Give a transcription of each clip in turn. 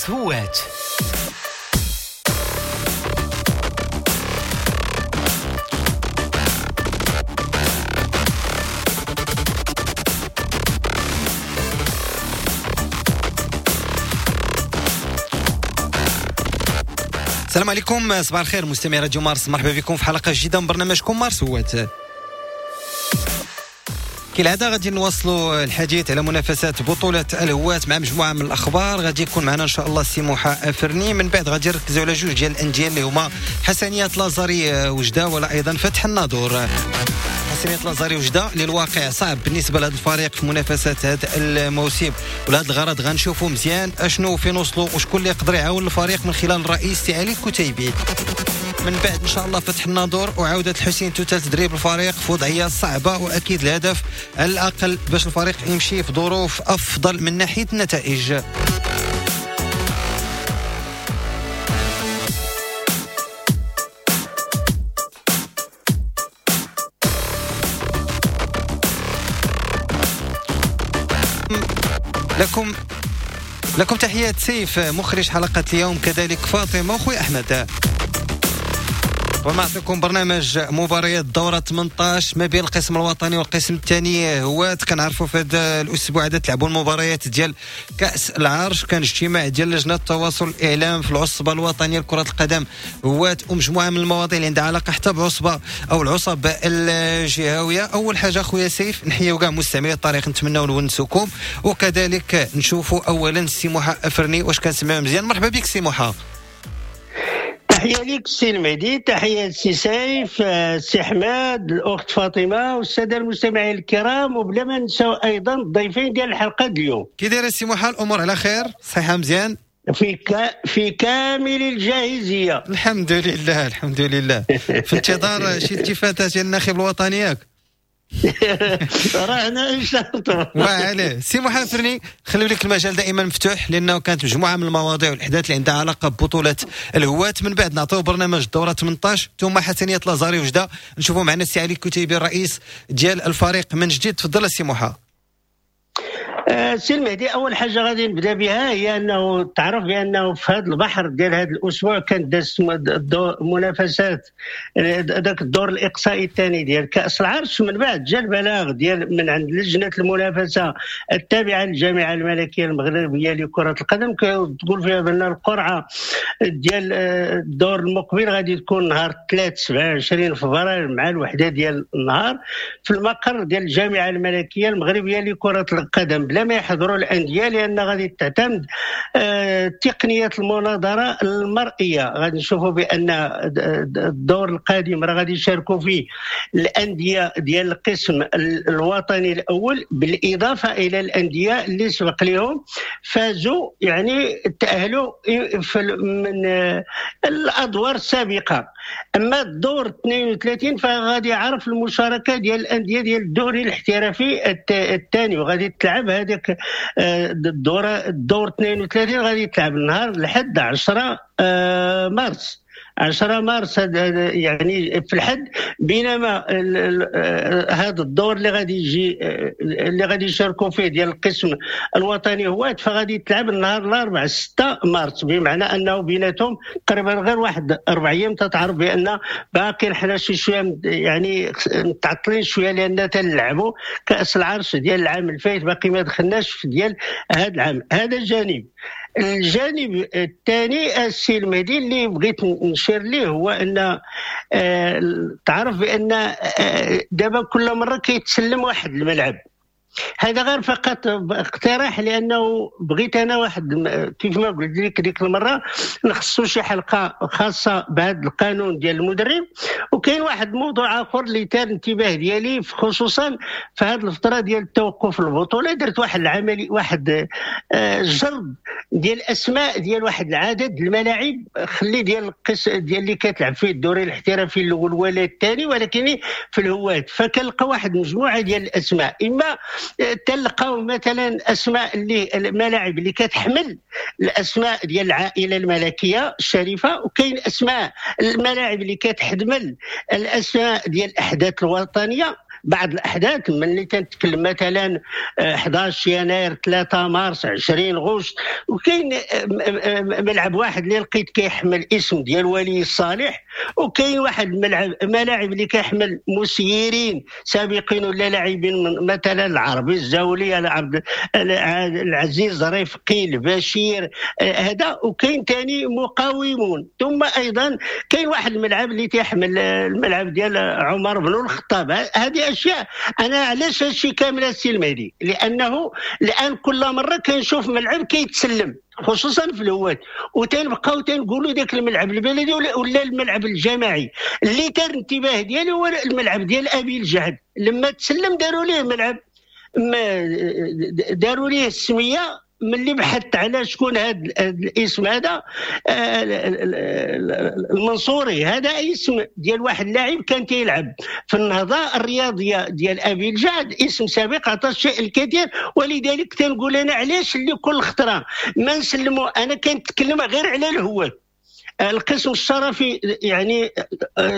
مارس هوات. السلام عليكم، صباح الخير مستمعي راديو مارس، مرحبا بكم في حلقة جديدة من برنامجكم مارس هوات. كالعادة غادي نواصلوا الحديث على منافسات بطولة الهوات مع مجموعة من الأخبار. غادي يكون معنا إن شاء الله سي موحى أفرني، من بعد غادي نركزوا على جوج ديال الأندية اللي هما حسنية لازاري وجدة ولا أيضا فتح الناظور. حسنية لازاري وجدة اللي الواقع صعب بالنسبة لهذا الفريق في منافسات هذا الموسم، ولهذا الغرض غنشوفوا مزيان اشنو فين وصلوا وشكون اللي يقدر يعاون الفريق من خلال الرئيس سي علي الكتيبي. من بعد ان شاء الله فتح الناظور وعوده الحسين توتا تدريب الفريق في وضعية صعبة، واكيد الهدف على الاقل باش الفريق يمشي في ظروف افضل من ناحية النتائج. لكم تحيات سيف مخرج حلقة اليوم، كذلك فاطمة وخوي احمد. ونعطيكم برنامج مباريات الدورة 18 ما بين القسم الوطني والقسم الثاني هوات. كنعرفوا في هذا الأسبوع هذا تلعبوا المباريات ديال كأس العرش، كان اجتماع ديال لجنة التواصل الإعلام في العصبة الوطنية لكرة القدم هوات، ومجموعة من المواضيع اللي عندها علاقة حتى بعصبة أو العصب الجهوية. أول حاجة خويا سيف نحيوا كاع مستمعي الطريق، نتمناو نونسوكم، وكذلك نشوفوا أولا سي موحى أفرني واش كنسمعوا مزيان. مرحبا بك سي موحى. تحية لك السي المهدي، تحية للسي سيف، السي حماد، الأخت فاطمة والسادة المستمعين الكرام، وبلا ما ننساو أيضا الضيفين ديال الحلقة اليوم. كي داير السي موحى؟ الأمور على خير؟ صحة مزيان؟ في كامل الجاهزية الحمد لله، الحمد لله. في انتظار شي التفاتات ديال الناخب الوطني ياك؟ رانا ان شاء الله. وعليه سي موحى فرني، خليو لك المجال دائما مفتوح لانه كانت مجموعة من المواضيع والاحداث اللي عندها علاقة ببطولة الهوات. من بعد نعطيو برنامج الدورة 18 ثم حسنيه لازاري وجده، نشوفوا معنا السي علي الكتيبي الرئيس ديال الفريق من جديد. تفضل السي موحى. سي المهدي، اول حاجة غادي نبدا بها هي انه تعرف بانه في هذا البحر ديال هذا الاسبوع كانت دازت منافسات ذاك الدور الاقصائي الثاني ديال كاس العرش. من بعد جا البلاغ ديال من عند لجنة المنافسة التابعة للجامعة الملكية المغربية لكرة القدم، كتقول فيها بان القرعة ديال الدور المقبل غادي تكون نهار 3 27 فبراير مع الوحدة ديال النهار في المقر ديال الجامعة الملكية المغربية لكرة القدم، بلا ما يحضروا الاندية، لان غادي تعتمد تقنية المناظرة المرئية. غادي نشوفوا بان الدور القادم راه غادي يشاركوا فيه الاندية ديال القسم الوطني الاول، بالاضافة الى الاندية اللي سبق لهم فازوا يعني تاهلوا من الادوار السابقة. اما الدور 32 فغادي يعرف المشاركة ديال الاندية ديال الدوري الاحترافي الثاني، وغادي تلعب هذاك الدور 32 غادي تلعب النهار لحد 10 مارس، 10 مارس يعني في الحد. بينما هذا الدور اللي غادي يجي اللي غادي يشاركوا فيه ديال القسم الوطني هوات فغادي تلعب النهار الاربعاء 6 مارس، بمعنى انه بيناتهم تقريبا غير واحد 4 ايام. تتعرف بان باقي حنا شي شوية يعني متعطلين شوية لان تنلعبوا كاس العرش ديال العام الفايت، باقي ما دخلناش في ديال هذا العام. هذا الجانب. الجانب الثاني السي المهدي اللي بغيت نشير ليه هو ان تعرف بان دابا كل مرة كيتسلم واحد الملعب. هذا غير فقط اقتراح، لانه بغيت انا واحد كيف ما قلت لك ديك المرة نخصو شي حلقة خاصة بهذا القانون ديال المدرب. وكاين واحد الموضوع اخر اللي ثار الانتباه ديالي خصوصا في هذه الفترة ديال التوقف البطولة، درت واحد العملي واحد جرد ديال الاسماء ديال واحد العدد الملاعب خلي ديال القس ديال اللي كتلعب فيه الدوري الاحترافي الاول ولا الثاني ولكن في الهوات، فكنلقى واحد مجموعة ديال الاسماء. اما تلقاو مثلا اسماء اللي الملاعب اللي كتحمل الاسماء ديال العائلة الملكية الشريفة، وكاين اسماء الملاعب اللي كتحمل الاسماء ديال الاحداث الوطنية. بعض الاحداث ملي تنتكلم مثلا 11 يناير، 3 مارس، 20 غشت. وكاين ملعب واحد اللي لقيت كيحمل اسم ديال ولي الصالح، وكاين واحد الملعب ملاعب اللي كيحمل مسيرين سابقين ولا لاعبين، مثلا العربي الزاولي، عبد العزيز رفقي، البشير هذا. وكاين ثاني مقاومون. ثم ايضا كاين واحد الملعب اللي تيحمل الملعب ديال عمر بن الخطاب. هذه اشياء انا علاش هادشي كامل السي المهدي؟ لانه الان كل مرة كنشوف ملعب كيتسلم خصوصا في الهوات، وتنبقاو تنقولوا ذاك الملعب البلدي ولا الملعب الجماعي. اللي كان الانتباه ديالي هو الملعب ديال ابي الجعد، لما تسلم داروا ليه ملعب، داروا ليه السمية. ملي بحثت على شكون هذا الاسم هذا، المنصوري، هذا اسم ديال واحد اللاعب كان تيلعب في النهضة الرياضية ديال ابي الجعد، اسم سابق عطى الشيء الكثير. ولذلك تنقول انا علاش اللي كل خطره ما نسلموا. انا كنتكلم غير على الهواة، القسم الشرفي يعني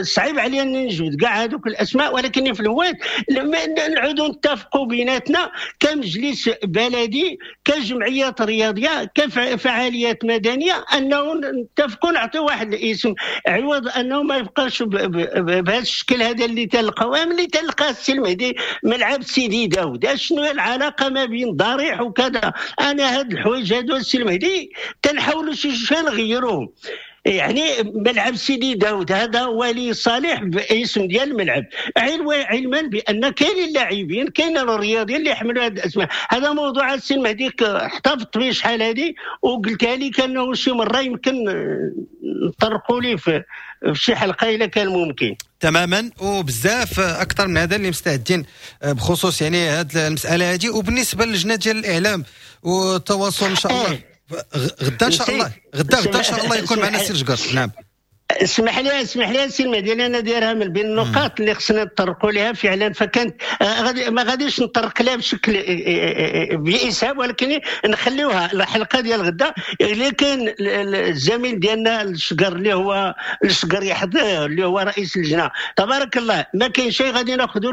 صعيب عليا ان نجبد كاع هذوك الاسماء، ولكن في الهواة لما نعودوا نتفقوا بيناتنا كمجلس بلدي، كجمعيات رياضية، كفعاليات مدنية، انه نتفقوا نعطيو واحد الاسم، عوض انه ما يبقاش بهذا الشكل هذا اللي تلقاوه. ملي تلقى السي المهدي ملعب سيدي داود، شنو هي العلاقة ما بين ضريح وكذا؟ انا هاد الحوايج هادو السي المهدي تنحاولوا شي شوية نغيروهم. يعني ملعب سيدي داود هذا ولي صالح باسم ديال الملعب، علما بان كاين اللاعبين، كاين الرياضيين اللي يحملوا هذه الاسماء. هذا موضوع السي المهدي احتفظت به شحال هذه، وقلتها لك انه شي مرة يمكن نطرقوا ليه في شي حلقة الا كان ممكن. تماما، وبزاف اكثر من هذا اللي مستعدين بخصوص يعني هذه المسالة هذه. وبالنسبة للجنة ديال الاعلام والتواصل ان شاء الله غدا ان شاء الله، غدا ان شاء الله يكون معنا السي الجقر. نعم، اسمح لي السي المهدي، انا دايرها من بين النقاط اللي خصنا نطرقوا لها فعلا، فكانت ما غاديش نطرق لها بشكل بإسهاب، ولكن نخليوها الحلقة ديال غدا. اللي كاين الزميل ديالنا الشقر اللي هو الشقر يحضر، اللي هو رئيس اللجنة، تبارك الله ما كاين شيء غادي ناخذوا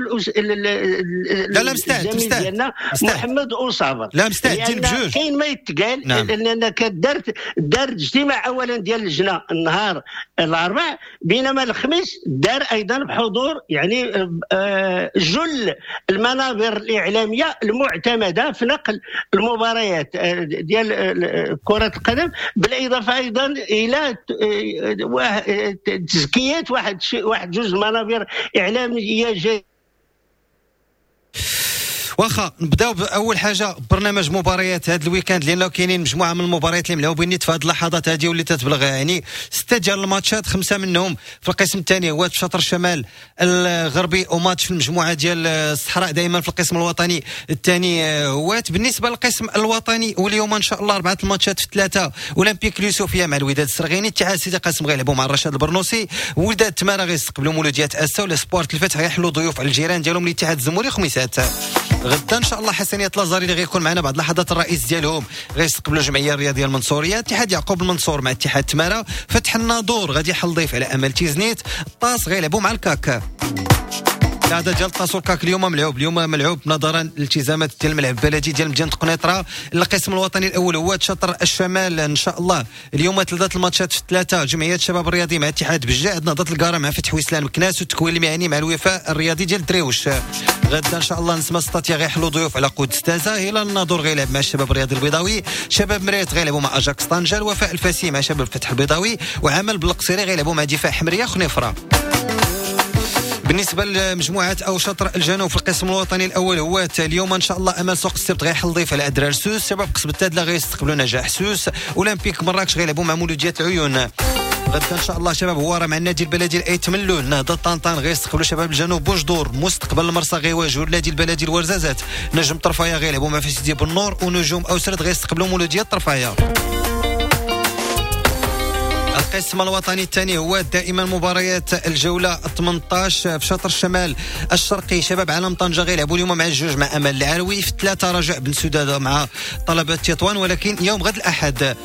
لا مستعد ديالنا محمد اوصابر. لا مستعدين بجوج، كاين ما يتقال. نعم. لان كدارت دار اجتماع اولا ديال اللجنة النهار الاربعاء، بينما الخميس دار ايضا بحضور يعني جل المنابر الاعلامية المعتمدة في نقل المباريات ديال كره القدم، بالاضافة ايضا الى تزكيات واحد جوج منابر اعلامية جديدة. واخا نبداو باول حاجة برنامج مباريات هذا ال week-end، لانه كاينين مجموعة من المباريات اللي ملعوبين نيت في هذه اللحظات هذه واللي تتبلغ يعني 6 ديال الماتشات، 5 منهم في القسم الثاني هو في شطر الشمال الغربي، وماتش في المجموعة ديال الصحراء دائما في القسم الوطني الثاني هوات. بالنسبة للقسم الوطني واليوم ان شاء الله 4 الماتشات في 3، اولمبيك اليوسفيه مع الوداد السرغيني، اتحاد سيدي قاسم غيلعبوا مع الرشاد البرنوسي، وداد تمارا غيستقبلوا مولوديات اسا، ولا سبورت الفتح غيحلوا ضيوف على الجيران ديالهم الاتحاد الزموري خميسات. غدا ان شاء الله حسنيه لازاري اللي غيكون معنا بعد لحظات الرئيس ديالهم غيستقبلوا الجمعية الرياضية المنصوريه، اتحاد يعقوب المنصور مع اتحاد تمارا، فتح الناظور غادي يحل ضيف على امل تيزنيت، الطاس غيلعبوا مع الكاك. هذا ديال الطاس والكاك اليوم ملعوب، اليوم ملعوب نظرا لالتزامات ديال الملعب البلدي ديال مدينة قنيطره. القسم الوطني الاول هو شطر الشمال ان شاء الله اليوم 3 الماتشات في 3، جمعية الشباب الرياضي مع اتحاد بجعد، نهضة القاره مع فتح وسلان مكناس، والتكوين المهني مع الوفاء الرياضي ديال الدريوش. غدا ان شاء الله نسمه سطاتيا غيحلوا ضيوف على قدس تازا، هلال الناظور غيلعب مع الشباب الرياضي البيضاوي، شباب مريت غيلعبوا مع اجاكس طنجه، الوفاء الفاسي مع شباب الفتح البيضاوي، وعمل بالقصيري غيلعبوا مع دفاع حمريه خنيفره. بالنسبة لمجموعة او شطر الجنوب في القسم الوطني الاول هو اليوم ان شاء الله امل سوق السبت غيحل ضيف على ادرار سوس، شباب قصب التادله غيستقبلوا نجاح سوس، اولمبيك مراكش غيلعبوا مع مولوديات العيون. غدا ان شاء الله شباب هواره مع النادي البلدي الايت ملول، نهضة طنطان غيستقبلوا شباب الجنوب بوجدور، مستقبل المرسى غيواجهوا النادي البلدي الورزازات، نجم طرفايه غيلعبوا مع فسيدي بالنور، ونجوم اوسرد غيستقبلوا مولوديات طرفايه. القسم الوطني الثاني هو دائما مباريات الجولة 18 في شطر الشمال الشرقي، شباب عالم طنجة غيلعبوا اليوم مع الجوج مع أمل العلوي، في 3 رجاء بن سدادة مع طلبة تطوان، ولكن يوم غد الأحد.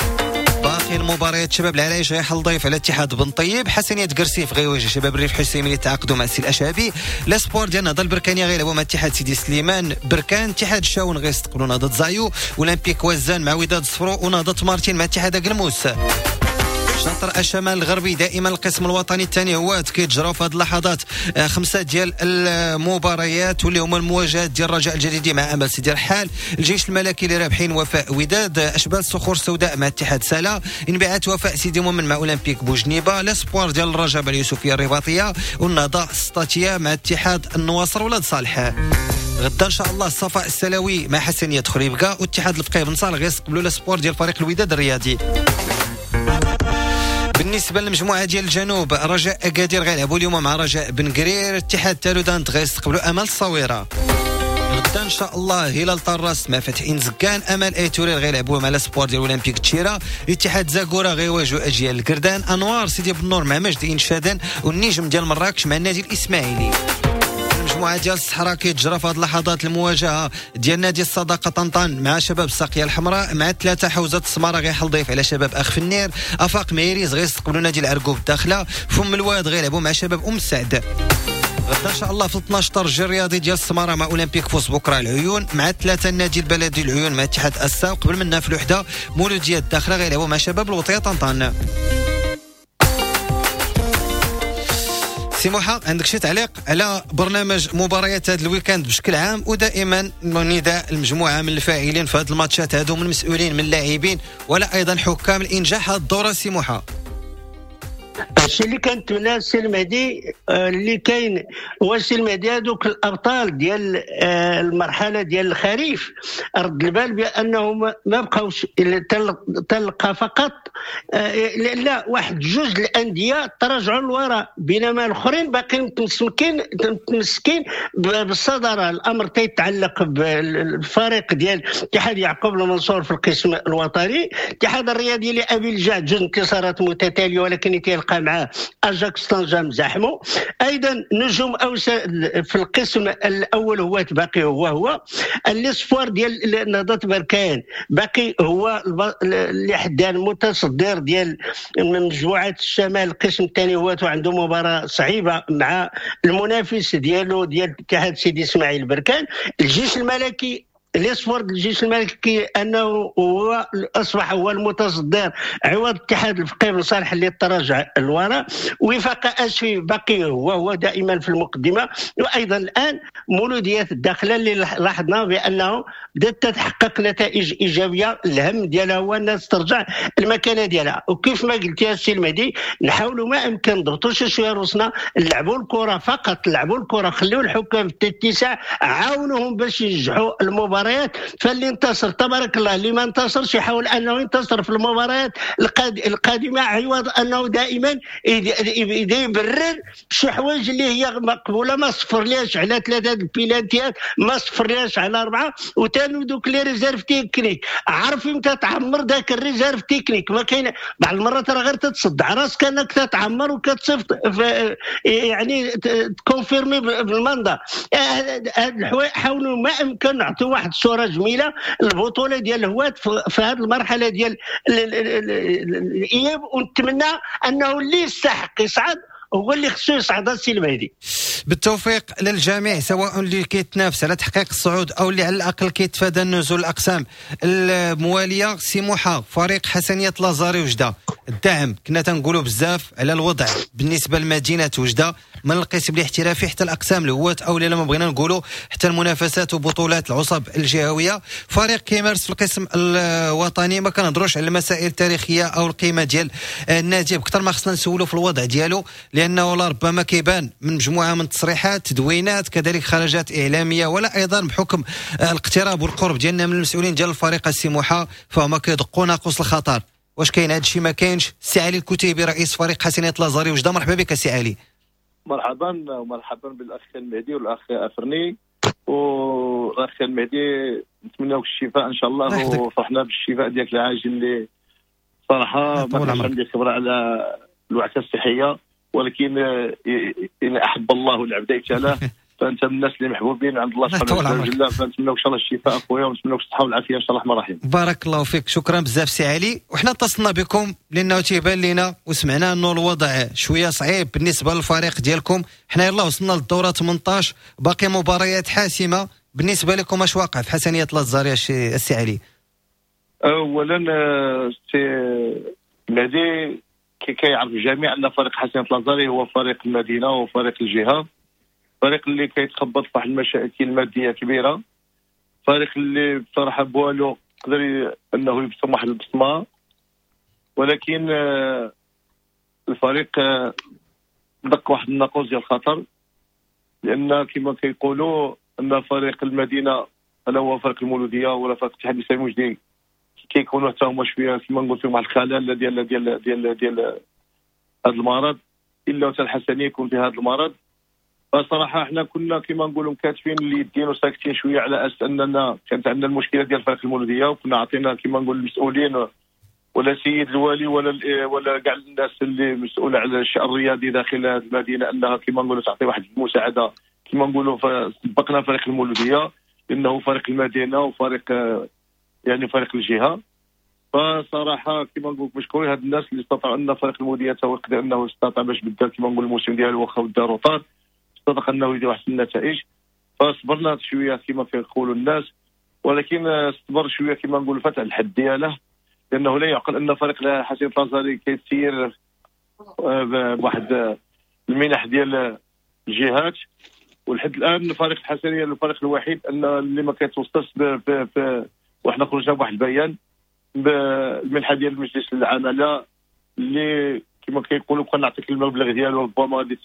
باقي باقي المباريات، شباب العرايش غيحل ضيف على اتحاد بن طيب، حسنية كرسيف غيواجه شباب الريف حسيمي اللي تعاقدوا مع السي الاشابي، les espoirs ديال نهضة البركانيه غيلعبوا مع اتحاد سيدي سليمان بركان، اتحاد الشاون غيستقبلوا نهضة زايو، اولمبيك وزان مع وداد صفرو، ونهضه مارتين مع اتحاد قلموس. شطر الشمال الغربي دائما القسم الوطني الثاني هو كيتجراو في هذه اللحظات 5 ديال المباريات واللي هما المواجهات ديال الرجاء الجديدي مع امل سيدي رحال، الجيش الملكي اللي رابحين وفاء وداد، اشبال الصخور السوداء مع اتحاد سلا، انبعاث وفاء سيدي مومن مع اولمبيك بوجنيبه، les espoirs ديال الرجاء اليوسفيه الرباطيه، والنهضه السطاتيه مع اتحاد النواصر ولاد صالح. غدا ان شاء الله الصفاء السلاوي مع حسنيه خريبكا، واتحاد الفقيه بن صالح غيستقبلوا les espoirs ديال فريق الوداد الرياضي. بالنسبة للمجموعة ديال الجنوب، رجاء اكادير غيلعبوا اليوم مع رجاء بن قرير، اتحاد تالودانت غيستقبلوا امل الصويره. غدا ان شاء الله هلال طراس مع فتح انزكان، امل ايتورير غيلعبوا مع les espoirs ديال اولمبيك تشيرا، اتحاد زاكورا غيواجهوا اجيال الكردان، انوار سيدي بنور مع مجد انشادن، والنجم ديال مراكش مع النادي الاسماعيلي. المجموعة ديال الصحراء كيتجرى في هذه اللحظات المواجهة ديال نادي الصداقة طنطان مع شباب الساقيه الحمراء، مع 3 حوزة السماره غيحل ضيف على شباب اخ فنير، افاق ميريز غيستقبلوا نادي العرقوب الداخلة، فم الواد غيلعبوا مع شباب ام السعد. غدا ان شاء الله في 12 الترجي الرياضي ديال السماره مع اولمبيك فوس بكره العيون، مع 3 النادي البلدي العيون مع اتحاد اسا، قبل منها في الوحدة مولوديه الداخلة غيلعبوا مع شباب الوطية طنطان. سي موحى، عندك شي تعليق على برنامج مباريات هذا ال week-end بشكل عام، ودائما نداء المجموعة من الفاعلين في هذه الماتشات هذو، من المسؤولين من اللاعبين ولا ايضا حكام الانجاح هذه الدورة؟ سي موحى، الشيء اللي كنتمنى السي المهدي اللي كاين هو السي المهدي هذوك الابطال ديال المرحلة ديال الخريف، رد البال بانهم ما بقاوش تلقى فقط لا واحد جوج الاندية تراجعوا للوراء، بينما الاخرين باقيين متمسكين بالصداره. الامر تيتعلق بالفريق ديال اتحاد يعقوب المنصور في القسم الوطني، الاتحاد الرياضي لابي الجعد جوج انتصارات متتالية ولكن تيلقى معاه اجاكس طنجة مزاحمو. ايضا نجوم اوسا في القسم الاول هو باقي هو les espoirs ديال نهضة بركان باقي هو اللي حدا المتصدر ديال مجموعة الشمال. القسم الثاني هو عنده مباراة صعيبة مع المنافس ديالو ديال اتحاد سيدي اسماعيل بركان. الجيش الملكي les espoirs الجيش الملكي انه هو اصبح هو المتصدر عوض اتحاد الفقيه بن صالح اللي تراجع الوراء. وفاق اسفي باقي هو دائما في المقدمة. وايضا الان مولوديات الداخلة اللي لاحظنا بانه بدات تتحقق نتائج ايجابية، الهم ديالها هو الناس ترجع المكانة ديالها. وكيف ما قلت يا سي المهدي، نحاولوا ما امكن نضغطوا شوية روسنا، نلعبوا الكره فقط، نلعبوا الكره، خليوا الحكام في الاتساع، عاونوهم باش ينجحوا المباراة. فاللي انتصر تبارك الله، اللي ما انتصرش يحاول انه ينتصر في المباريات القادمة، عوض انه دائما يبرر شي حوايج اللي هي مقبولة. ما صفرليش على 3 البيلانتيات، ما صفرليش على 4، وثاني دوك les réserves techniques، عارف امتى تعمر ذاك ال réserve technique. ما كاين بعض المرات راه غير تتصدع راسك انك تتعمر وكتصيفط يعني ت confirmer بال mandat. هاد الحوايج حاولوا ما امكن نعطيو واحد صوره جميلة البطولة ديال الهوات في هذه المرحلة ديال الاياب، ونتمنى انه اللي يستحق يصعد هو اللي خصو يصعد. السي المهدي، بالتوفيق للجميع، سواء اللي كيتنافس على تحقيق الصعود او اللي على الاقل كيتفادى النزول الاقسام الموالية. سي موحى، فريق حسنيه لازاري وجده، الدعم كنا تنقولوا بزاف على الوضع بالنسبة لمدينة وجده من القسم الاحترافي حتى الاقسام الهواة او لا ما بغينا نقولوا حتى المنافسات وبطولات العصب الجهوية. فريق كيمارس في القسم الوطني، ما كنهضروش على المسائل التاريخية او القيمة ديال النادي بكثر ما خصنا نسولوا في الوضع ديالو، لانه لربما كيبان من مجموعة من التصريحات، تدوينات، كذلك خرجات اعلامية، ولا ايضا بحكم الاقتراب والقرب ديالنا من المسؤولين ديال الفريق السي موحى، فهما كيدقوا ناقوس الخطر. واش كاين هذا الشيء؟ ما كاينش. السي علي الكتيبي رئيس فريق حسنيه لازاري وجده، مرحبا بك سي علي. مرحبا، ومرحبا بالاخ المهدي والاخ افرني. والاخ المهدي نتمنى لك الشفاء ان شاء الله، وفرحنا بالشفاء ديالك العاجل اللي صراحة ما كانش عندي خبره على الوعكه الصحية، ولكن ان احب الله العبد ابتلاه. فانت من الناس اللي محبوبين عند الله سبحانه وتعالى، فنتمنى ان شاء الله الشفاء اخويا، ونتمنى لك الصحة والعافية ان شاء الله الرحمن الرحيم. بارك الله فيك، شكرا بزاف سي علي. وحنا اتصلنا بكم لانه تيبان لنا وسمعنا انه الوضع شوية صعيب بالنسبة للفريق ديالكم. حنا يلاه وصلنا للدورة 18، باقي مباريات حاسمة بالنسبة لكم. اش واقع في حسنيه لازاري السي علي؟ اولا سي مهدي، كيعرف الجميع ان فريق حسنيه لازاري هو فريق المدينة وفريق الجهة، فريق اللي كيتخبط في واحد المشاكل المادية كبيرة، فريق اللي بصراحة بوالو قدر انه يبصم واحد البصمة، ولكن الفريق دق واحد الناقوس ديال الخطر، لان كما كيقولوا ان فريق المدينة لا هو فريق المولوديه ولا فريق الاتحاد الاسلامي الوجدي كيكونوا حتى هما شوية كما نقول فيهم واحد الخلل ديال ديال ديال ديال هذا المرض، الا حتى الحسنيه يكون في هذا المرض. فصراحة احنا كنا كما نقولوا مكاتفين اليدين وساكتين شوية على اساس اننا كانت عندنا المشكلة ديال فريق المولوديه، وكنا عطينا كما نقول المسؤولين ولا سيد الوالي ولا كاع الناس اللي مسؤولة على الشأن الرياضي داخل هذه المدينة انها كما نقولوا تعطي واحد المساعدة. كما نقولوا سبقنا فريق المولوديه لانه فريق المدينة وفريق يعني فريق الجهة. فصراحة كما نقول مشكورين هاد الناس اللي استطاعوا ان فريق المولوديه تا هو يقدر انه استطاع باش بدا كما نقول الموسم ديالو واخا بدا retard، استطاع انه يدير واحد النتائج. فصبرنا شوية كما كيقولوا الناس، ولكن صبر شوية كما نقول فتح الحد دياله، لانه لا يعقل ان فريق حسين لازاري كيسير بواحد المنح ديال الجهات، ولحد الان فريق الحسنيه الفريق الوحيد ان اللي ما كيتوصلش وحنا خرجنا بواحد البيان بالمنحه ديال المجلس العمالة اللي كما كيقولوا كون نعطيك المبلغ ديالو ربما غادي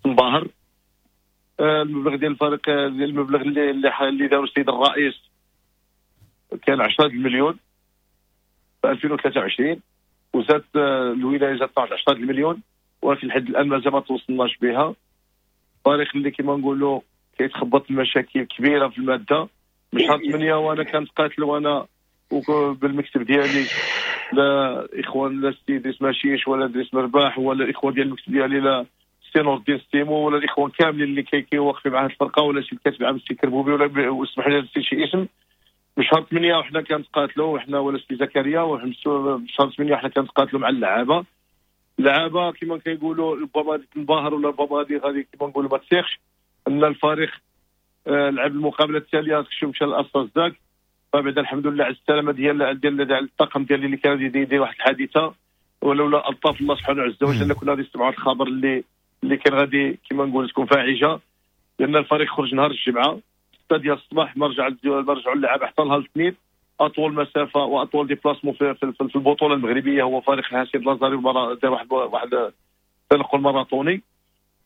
تنبهر. المبلغ ديال الفريق، المبلغ اللي دارو السيد الرئيس كان 10 المليون في 2023، وزاد الولاية زادت 10 المليون، ولكن لحد الان مازال ما توصلناش بها. فريق اللي كما نقولوا كيتخبط المشاكل كبيرة في المادة. من شهر 8 وانا كنتقاتل وانا بالمكتب ديالي، لا اخوان لا سي دريس ماشيش ولا دريس مرباح ولا الاخوان ديال المكتب ديالي لا سي نور الدين ستيمو ولا الاخوان كاملين اللي كيوقفوا مع هذه الفرقة ولا شي الكاتب العام السي كربوبي ولا واسمح لي نسيت شي اسم. من شهر 8 وحنا كنتقاتلوا وحنا ولا سي زكريا، من شهر 8 وحنا كنتقاتلوا مع اللعابه. اللعابه كما كيقولوا ربما غادي تنبهر ولا ربما غادي كما نقولوا ما تسيخش ان الفريق لعب المقابلة التالية مشى لاساس داك. فبعد الحمد لله على السلامة ديال ديال الطاقم ديالي اللي كان يدير واحد الحادثة، ولولا الطاف الله سبحانه عز وجل كنا غادي نسمعوا الخبر اللي كان غادي كما نقول تكون فاعجه، لان الفريق خرج نهار الجمعة 6 ديال الصباح، ما رجعوا اللعابه حتى نهار الاثنين. اطول مسافة واطول déplacement في البطولة المغربية هو فريق الحسين لازاري، دار واحد تنقل ماراطوني.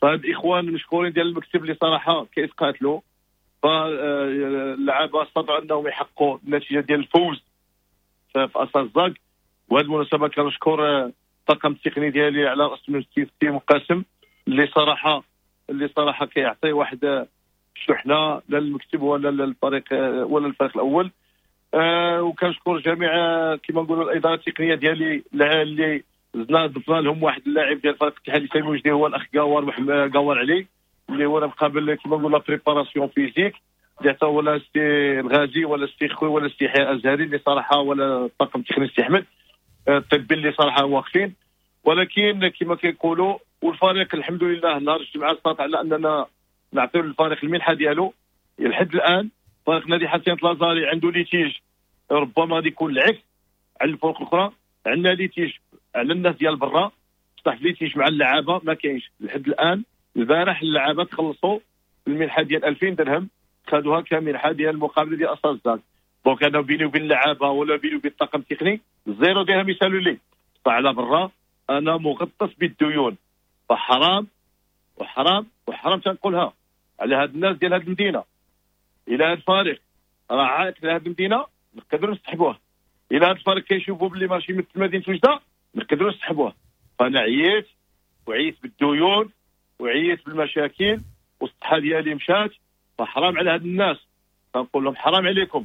فهاد الاخوان المشكورين ديال المكتب اللي صراحة كيتقاتلوا، فاللعابه استطاعوا انهم يحققوا النتيجة ديال الفوز في اساس زاك. وهذه المناسبة كنشكر الطاقم التقني ديالي على راس السي قاسم اللي صراحة كيعطي واحد الشحنة لا للمكتب ولا للفريق ولا الفريق الاول. وكنشكر جميع كما نقولوا الادارة التقنية ديالي اللي زدنا ضفنا لهم واحد اللاعب ديال فريق الاتحاد الاسلامي الوجدي هو الاخ قوار علي اللي هو مقابل كما نقول la préparation physique اللي حتى ولا سي الغازي ولا سي خوي ولا سي يحيى الازهري اللي صراحة ولا الطاقم التقني سي احمد الطبي اللي صراحة واقفين. ولكن كما كيقولوا والفريق الحمد لله نهار الجمعة استطاع على اننا نعطيو للفريق المنحة ديالو. لحد الان فريق نادي حسين لازاري عنده litige ربما غادي يكون العكس على الفرق الاخرى. عندنا litige على الناس ديال برا، بصح litige مع اللعابه ما كاينش لحد الان. البارح اللعابه تخلصوا المنحة ديال 2000 درهم، خدوها كمنحه ديال المقابلة ديال اساس زاك. donc انا بيني وبين اللعابه ولا بيني وبين الطاقم التقني zéro درهم يسالوا لي. فعلى برا انا مغطس بالديون، فحرام وحرام وحرام تنقولها على هاد الناس ديال هاد المدينة. الى هاد الفريق راه عائق لهاد المدينة نقدروا نسحبوه، الى هاد الفريق كيشوفوا باللي ماشي مثل مدينة وجده نقدروا نسحبوه. فانا عييت وعييت بالديون وعييت بالمشاكل والصحة ديالي مشات، فحرام على هاد الناس. كنقول لهم حرام عليكم،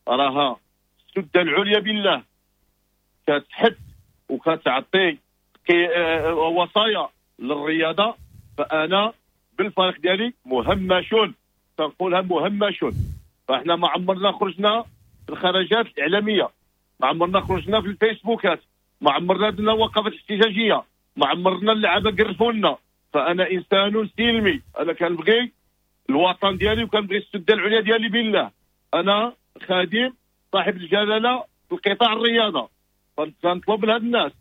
راها السده العليا بالله كتحد وكتعطي وصايا للرياضة. فانا بالفريق ديالي مهمشون، تنقولها مهمشون. فاحنا ما عمرنا خرجنا في الخرجات الاعلامية، ما عمرنا خرجنا في الفيسبوكات، ما عمرنا درنا وقفات احتجاجية، ما عمرنا اللعابه قرفوا لنا. فانا انسان سلمي، انا كنبغي الوطن ديالي وكنبغي السده العليا ديالي بالله. انا خادم صاحب الجلاله في القطاع الرياضة، فنطلب لهاد الناس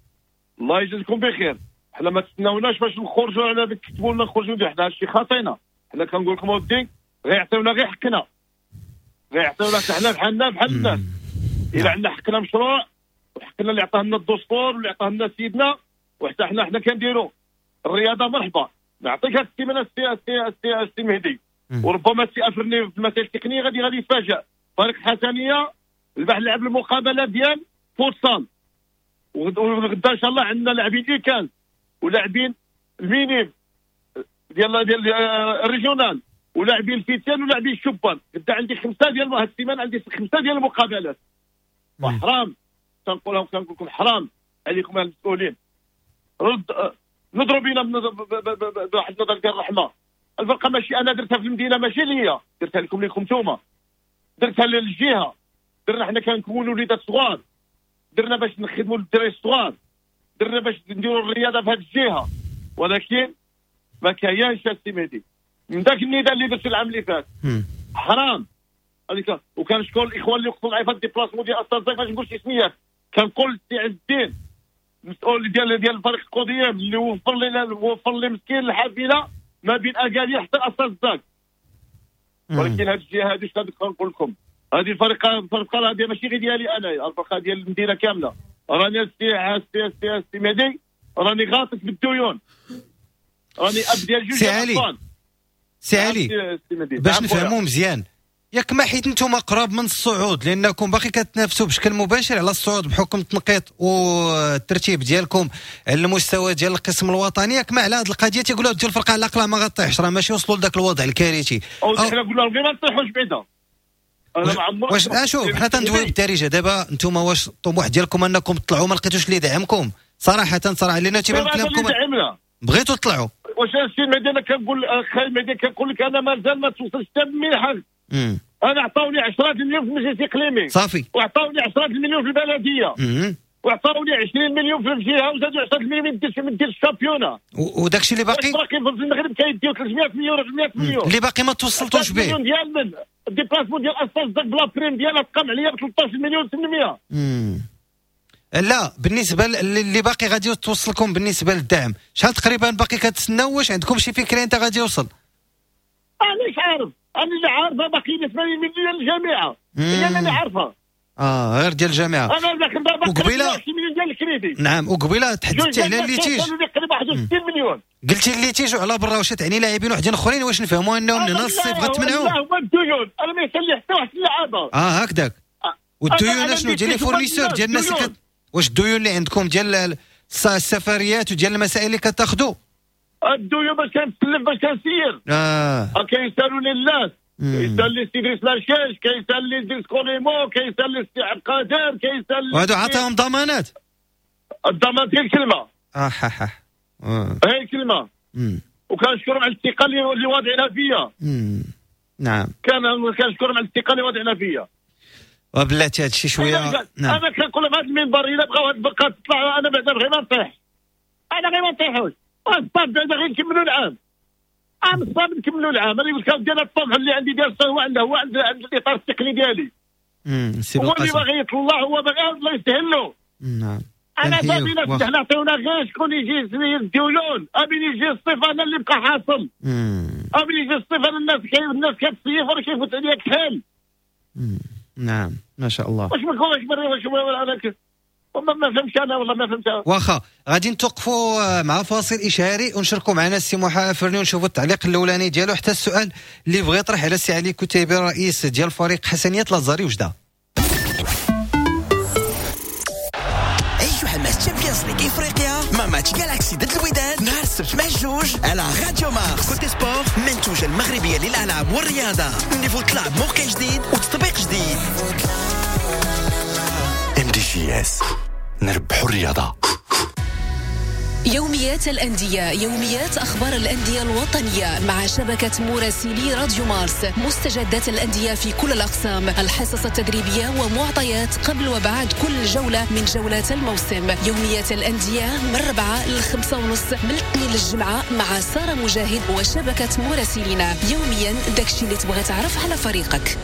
الله يجزيكم بخير، حنا ما تستناوناش باش نخرجوا على كتبوا لنا نخرجوا، حنا هادشي خاطينا. حنا كنقول لكم اودي غيعطيونا غير حقنا، غيعطيونا حنا بحالنا بحال الناس. الا عندنا حقنا مشروع وحقنا اللي عطاه لنا الدستور واللي عطاه لنا سيدنا، وحتى حنا كنديروا الرياضة. مرحبا، نعطيك هاد السيمانة السي مهدي، وربما السي افرني في المسائل التقنية غادي يتفاجئ. فريق الحسنيه البارح لعب المقابلة ديال فوتسال، وغدا ان شاء الله عندنا لاعبين U quinze ولاعبين ال minimes ديال ال régional ولاعبين الفتيان ولاعبين الشبان. غدا عندي خمسة ديال هاد السيمانة، عندي خمسة ديال المقابلات. وحرام تنقولها، كنقول لكم حرام عليكم المسؤولين، رد نضرب بينا بواحد النظر ديال الرحمة. الفرقة ماشي انا درتها في المدينة، ماشي ليا، درتها لكم نتوما، درتها للجهة. درنا حنا كنكونوا وليدات صغار، درنا باش نخدموا للدراري الصغار، درنا باش نديروا الرياضة في هذه الجهة، ولكن ما كاينش السي مهدي من ذاك النداء اللي درت العام اللي فات. حرام هذيك. وكنشكر الاخوان اللي وقفوا معايا في ال déplacement ديال استاذ، باش نقول شي سميات. كنقول السي عز الدين المسؤول ديال الفريق القضيم اللي وفر لي مسكين الحافلة ما بين اكادير حتى استاذ زاك. ولكن هذه الجهة هذه شنو كنقول لكم، هذه الفرقة هذه ماشي غير ديالي انا، الفرقة ديال المدينة كاملة. راني السي السي السي السي مهدي راني غاطس بالديون، راني اب ديال جوج اطفال. سي علي باش نفهموا مزيان، ياك ما حيت نتوما قراب من الصعود لانكم باقي كتنافسوا بشكل مباشر على الصعود بحكم التنقيط والترتيب ديالكم على المستوى ديال القسم الوطني، ياك ما على هذه القضية تيقولوا ديال الفرقة على الاقل ما غطيحش، راه ماشي وصلوا لذاك الوضع الكارثي. او حنا قلنا لهم غير ما نطيحوش بعدا. انا ما عمري واش اشوف حنا تندويو بالدارجة دابا، نتوما واش الطموح ديالكم انكم تطلعوا ما لقيتوش اللي يدعمكم؟ صراحة لان تيبان كلامكم بغيتوا تطلعوا. واش السي مهدي انا كنقول خاي مهدي كنقول لك انا مازال ما توصلش حتى بمنحه. انا عطاوني 10 مليون في المجلس الاقليمي صافي، وعطاوني 10 مليون في البلدية، وعطاوني 20 مليون في الجهة، وزادوا 10 مليون من ديال ال championnat. وداك الشيء اللي باقي في المغرب كيديو 300 مليون 400 مليون اللي باقي ما توصلتوش به. مليون ديال من ال déplacement ديال استاذ داك ب la prime ديالها تقام عليا ب 13 مليون 800. لا بالنسبة اللي باقي غادي توصلكم بالنسبة للدعم شحال تقريبا باقي كتسناو؟ واش عندكم شي فكرة انت غادي يوصل؟ انا مش عارف، انا اللي عارفه باقي 80 مليون للجامعة، هي انا اللي عارفه. غير ديال الجامعة. انا باقي وقبيله 20 مليون ديال الكريدي. نعم، وقبيله تحدثتي على ال litige تقريبا 61 مليون. قلتي ال litige وعلى برا، واش تعني لاعبين وحدين اخرين؟ واش نفهموا انهم من هنا الصيف غتمنعوا؟ لا هما الديون، انا ما يسالي حتى واحد اللعابه. هكذاك. والديون شنو ديال les fournisseurs ديال الناس اللي واش الديون اللي عندكم ديال السفريات وديال المسائل اللي كتاخذوا؟ الديون باش كنتسلف باش كنسير. كيسالوني الناس، كيسال لي سي دريس لاشاش، كيسال لي دريس كوليمو، كيسال لي سي عبد القادر، كيسال لي وهادو عطاهم ضمانات. الضمان ديال الكلمة. هي الكلمة. وكنشكرهم على الثقة اللي واضعينها فيا. نعم. كنشكرهم على الثقة اللي واضعينها فيا. وبلاتي هادشي شوية. نعم. انا كنقول لهم هذا المنبر الا بغاو هاد البقات تطلع، انا بعدا غير ما نطيح، انا غير ما نطيحوش، الصاد بعدا غير نكملوا العام، عام الصاد نكملوا العام. انا قلت لك ديال الطموح اللي عندي ديال هو عنده، هو عند الاطار التقني ديالي. هو اللي باغي يطلع، هو باغي الله يسهل له. نعم. انا صافي حنا عطيونا غير شكون يجي الديون، امين يجي الصيف انا اللي بقى حاصل. امين يجي الصيف انا الناس كتصيف راه كيفوت عليا كحل. نعم ما شاء الله. واش ما كنقولش ما فهمتش انا والله ما فهمتها. واخا غادي نتوقفوا مع فاصل اشهاري ونشاركوا معنا السي محا فرني ونشوفوا التعليق الاولاني ديالو حتى السؤال اللي بغى يطرح على السي علي كتيبي رئيس ديال فريق حسنية لازاري وجده. عيشوا حماس Champions League افريقيا مع ماتش جالاكسي ضد الوداد نهار السبت مع الجوج على راديو مارس. كوتي سبور منتوجة المغربية للالعاب والرياضة، niveau طلع بموقع جديد وتطبيق جديد. MDJS نربحوا الرياضة. يوميات الأندية، يوميات أخبار الأندية الوطنية مع شبكة مراسلي راديو مارس، مستجدات الأندية في كل الأقسام، الحصص التدريبية ومعطيات قبل وبعد كل جولة من جولات الموسم. يوميات الأندية من 4 ل 5:30 من الاثنين للجمعة مع سارة مجاهد وشبكة مراسلينا. يوميا داكشي اللي تبغى تعرف على فريقك.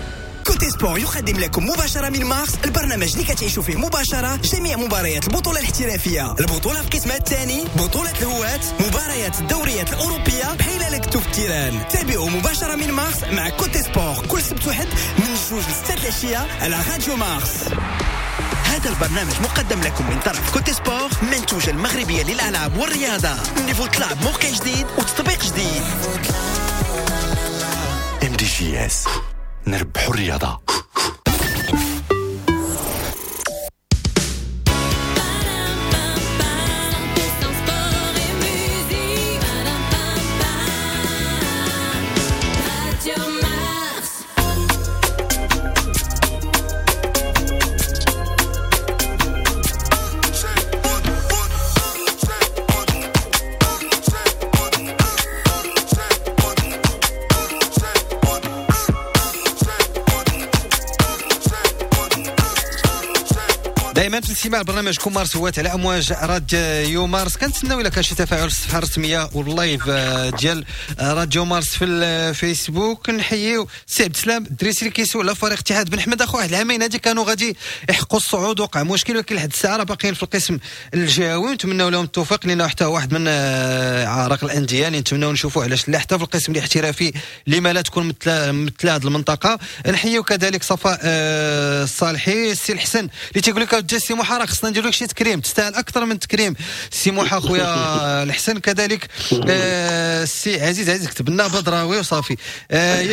Cote Sport يقدم لكم مباشرة من مارس البرنامج اللي كتعيشوا فيه مباشرة جميع مباريات البطولة الاحترافية، البطولة في قسمها الثاني، بطولة الهواة، مباريات الدوريات الأوروبية بحال لكتو في ال terrain. تابعوا مباشرة من مارس مع Cote Sport كل سبت وحد من 2 ل 6 العشية على راديو مارس. هذا البرنامج مقدم لكم من طرف Cote Sport، منتوجة المغربية للألعاب والرياضة. niveau طلع بموقع جديد وتطبيق جديد. MDJS نربحوا الرياضة. دائما في الاستماع لبرنامجكم مارس هوات على امواج راديو مارس. كنتسناو الا كان شي تفاعل في الصفحة الرسمية وال live ديال راديو مارس في الفيسبوك. نحييو سي عبد السلام الدريسي اللي كيسول على فريق اتحاد بن حمد. اخو واحد العامين هادي كانوا غادي يحققوا الصعود، وقع مشكل، ولكن لحد الساعة راه باقيين في القسم الجهوي. نتمناو لهم التوفيق لانه حتى واحد من عراق الاندية اللي نتمناو نشوفوا علاش لا حتى في القسم الاحترافي لما لا تكون مثل هذه المنطقة. نحييو كذلك صفاء الصالحي، السي الحسن اللي تيقول لك سي موحى راه خصنا نديرو لك شي تكريم، تستاهل اكثر من تكريم سي موحى خويا الحسن. كذلك السي عزيز كتب لنا بدراوي وصافي.